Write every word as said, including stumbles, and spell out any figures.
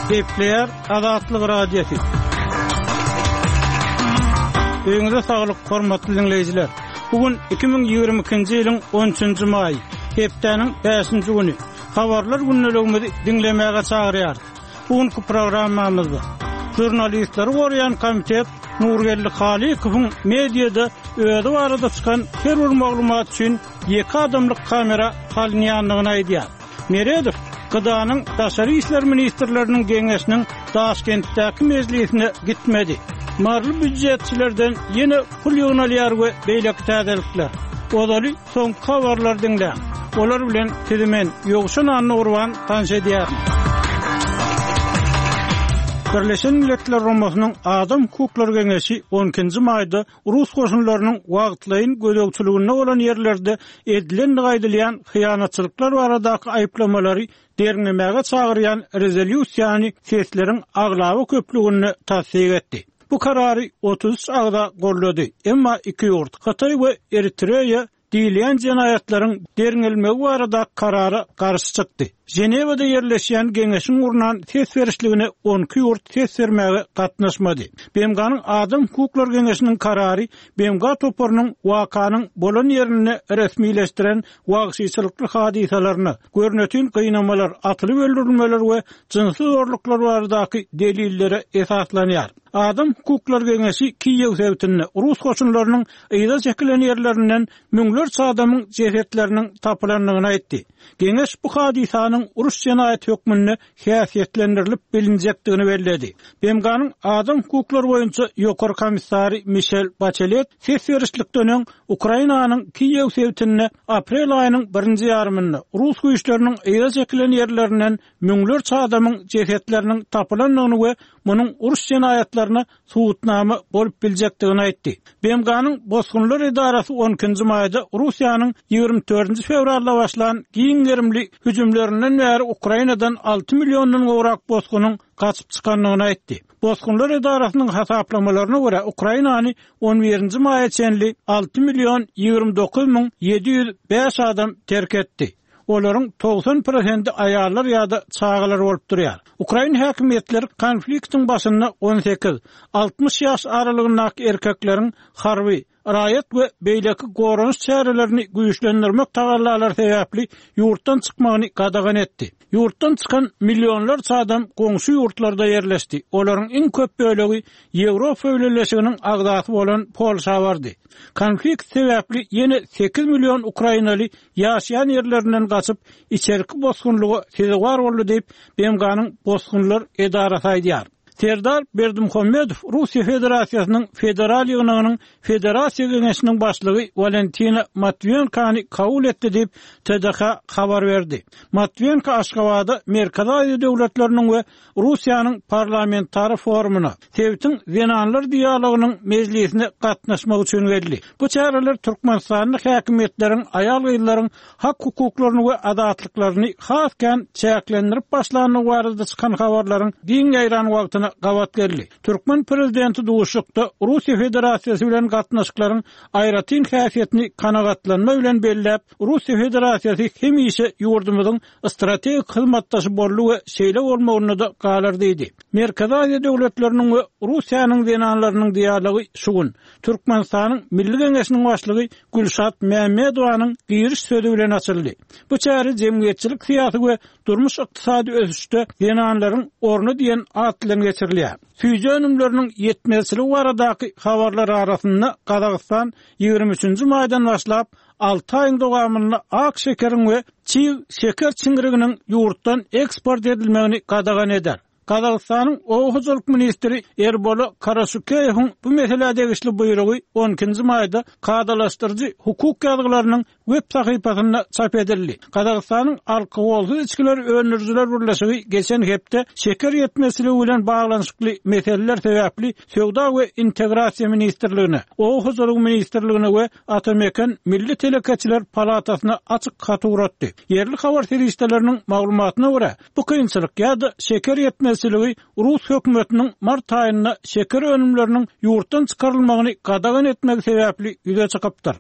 Gepleýär Azatlyk Radiosy. Öýüňize saglyk, hormatly diňleýjiler. Bu gün iki müň ýigrimi ikinji ýylyň on üçünji maýy, hepdäniň bäşinji güni. Habarlar gündeligimizi diňlemäge çagyrýarys. Bu günki programmamyzda žurnalistleri goraýan komitet Nurgeldi Halykowyň mediada özi barada çykan her bir maglumat üçin ýeke adamlyk kamera salynýandygyny aýdýar. Meredow Gydanyň Daşary işler ministrleriniň geňeşiniň Daşkentdäki mejlisine gitmedi. Maryly býujetçilerden ýene pul ýygnalýar we beýleki täzelikler. Ozaly soňky habarlary diňläň. Olar bilen sizi men Ýowşan Annagurban tanyş edýärin. Birleşen Milletler Guramasynyň Adam hukuklary geňeşi on ikinji maýda rus goşunlarynyň wagtlaýyn gözegçiliginde bolan ýerlerde edilendigi aýdylýan hyýanatçylyklar baradaky aýyplamalary derňemäge çagyrýan rezolýusiýany sesleriň aglaba köplüginde tassyk etdi. Bu karary otuz üç agza gollady. Emma iki ýurt, Hytaý we Eritreýa diýilýän jenaýatlaryň derňelmegi barada karara garşy çykdy. Ženewada ýerleşýän geňeşiň gurnan ses berişligine on iki ýurt ses bermäge gatnaşmady. B M G-nyň Adam hukuklary geňeşiniň karary B M G toparynyň wakanyň bolan ýerinde resmileşdiren wagşyçylykly hadysalaryna, görnetin gynamalar, atylyp öldürilmeler we jynsy zorluklar baradaky delillere esaslanýar. Adam hukuklary geňeşi Kiýew sebitinde rus goşunlarynyň yza çekilen ýerlerinden müňlerçe adamyň jesetleriniň tapylandygyny aýtdy. Geňeş bu hadysanyň uruş jenaýaty hökmünde häsiýetlendirilip bilinjekdigini belledi. B M G-nyň Adam hukuklary boýunça ýokary komissary Michel Bachelet ses berişlikden öň Ukrainanyň Kiýew sebitinde aprel aýynyň birinji ýarymynda rus güýçleriniň yza çekilen ýerlerinden müňlerçe adamyň jesetleriniň tapylandygyny we munuň uruş jenaýatlaryna subutnama bolup biljekdigini aýtdy. B M G-nyň Bosgunlar edarasy on ikinji maýda Russiýanyň ýigrimi dördünji fewralda başlan giň gerimli hüjümlerinden bäri Ukrainadan alty milliondan gowrak bosgunyň gaçyp çykandygyny aýtdy. Bosgunlar edarasynyň hasaplamalaryna görä Ukrainany on birinji maýa çenli alty million ýigrimi dokuz müň ýedi ýüz bäş adam terk etdi. Olaryň togsan prosenti aýallar ýa-da çagalar bolup durýar. Ukrain häkimiýetleri konfliktiň başynda on sekiz, altmyş ýaş aralygyndaky erkekleriň harby, raýat we beýleki goranyş çärelerini güýçlendirmek tagallalary sebäpli ýurtdan çykmagyny gadagan etdi. Ýurtdan çykan millionlarça adam goňşy ýurtlarda ýerleşdi. Olaryň iň köp bölegi Ýewropa Birleşiginiň agzasy bolan Polşa bardy. Konflikt sebäpli ýene sekiz million ukrainaly ýaşaýan ýerlerinden gaçyp içerki bosgunlyga sezewar boldy diýip B M G-nyň Bosgunlar edarasy aýdýar. Serdar Berdimuhamedow Russiýa Federasiýasynyň Federal ýygnagynyň Federasiýa Geňeşiniň başlygy Walentina Matwiýenkany kabul etdi diýip T D H habar berdi. Matwiýenko Aşgabada Merkezi Aziýa döwletleriniň we Russiýanyň parlamentary forumyna, sebitiň zenanlar dialogynyň mejlisine gatnaşmak üçin geldi. Bu çäreler Türkmenistanyň häkimiýetleriň aýal-gyzlaryň hak hukuklaryny we azatlyklaryny has kän çäklendirip başlandygy barada çykan habarlaryň giň ýaýran wagtyna gabat geldi. Türkmen prezidenti duşuşykda Russiýa Federasiýasy bilen gatnaşyklaryň aýratyn häsiýetini kanagatlanma bilen belläp, Russiýa Federasiýasy hemişe ýurdumyzyň strategik hyzmatdaşy boldy we şeýle bolmagyna da galar diýdi. Merkezi Aziýa döwletleriniň we Russiýanyň zenanlarynyň dialogy şu gün Türkmenistanyň Milli Geňeşiniň başlygy Gülşat Mämmedowanyň giriş sözü bilen açyldy. Bu çäre jemgyýetçilik syýasy we durmuş ykdysady ösüşde zenanlaryň orny diýen at bilen geçirilýär. Süýji önümleriniň ýetmezçiligi baradaky habarlar arasynda Gazagystan ýigrimi üçünji maýdan başlap alty aýyň dowamynda ak şekeriň we çig şeker çiňriginiň ýurtdan eksport edilmegini gadagan eder. Gazagystanyň Oba hojalyk ministri Erbola Karaşukeýewiň bu meselä degişli buýrugy on ikinji maýda kadalaşdyryjy hukuk ýazgylarynyň web sahypasynda çap edildi. Gazagystanyň alkogolsyz içgiler öndürijiler birleşigi geçen hepde şeker ýetmezçiligi bilen baglanyşykly meseleler sebäpli Söwda we integrasiýa ministrligine, Oba hojalyk ministrligine we Atameken Milli Telekeçiler Palatasyna açyk hat ugratdy. Ýerli habar serişdeleriniň maglumatyna görä, bu kynçylyk ýa-da şeker ýetmezçiligi Rus hökümetiniň mart aýynda şeker önümleriniň ýurtdan çykarylmagyny gadagan etmegi sebäpli ýüze çykypdyr.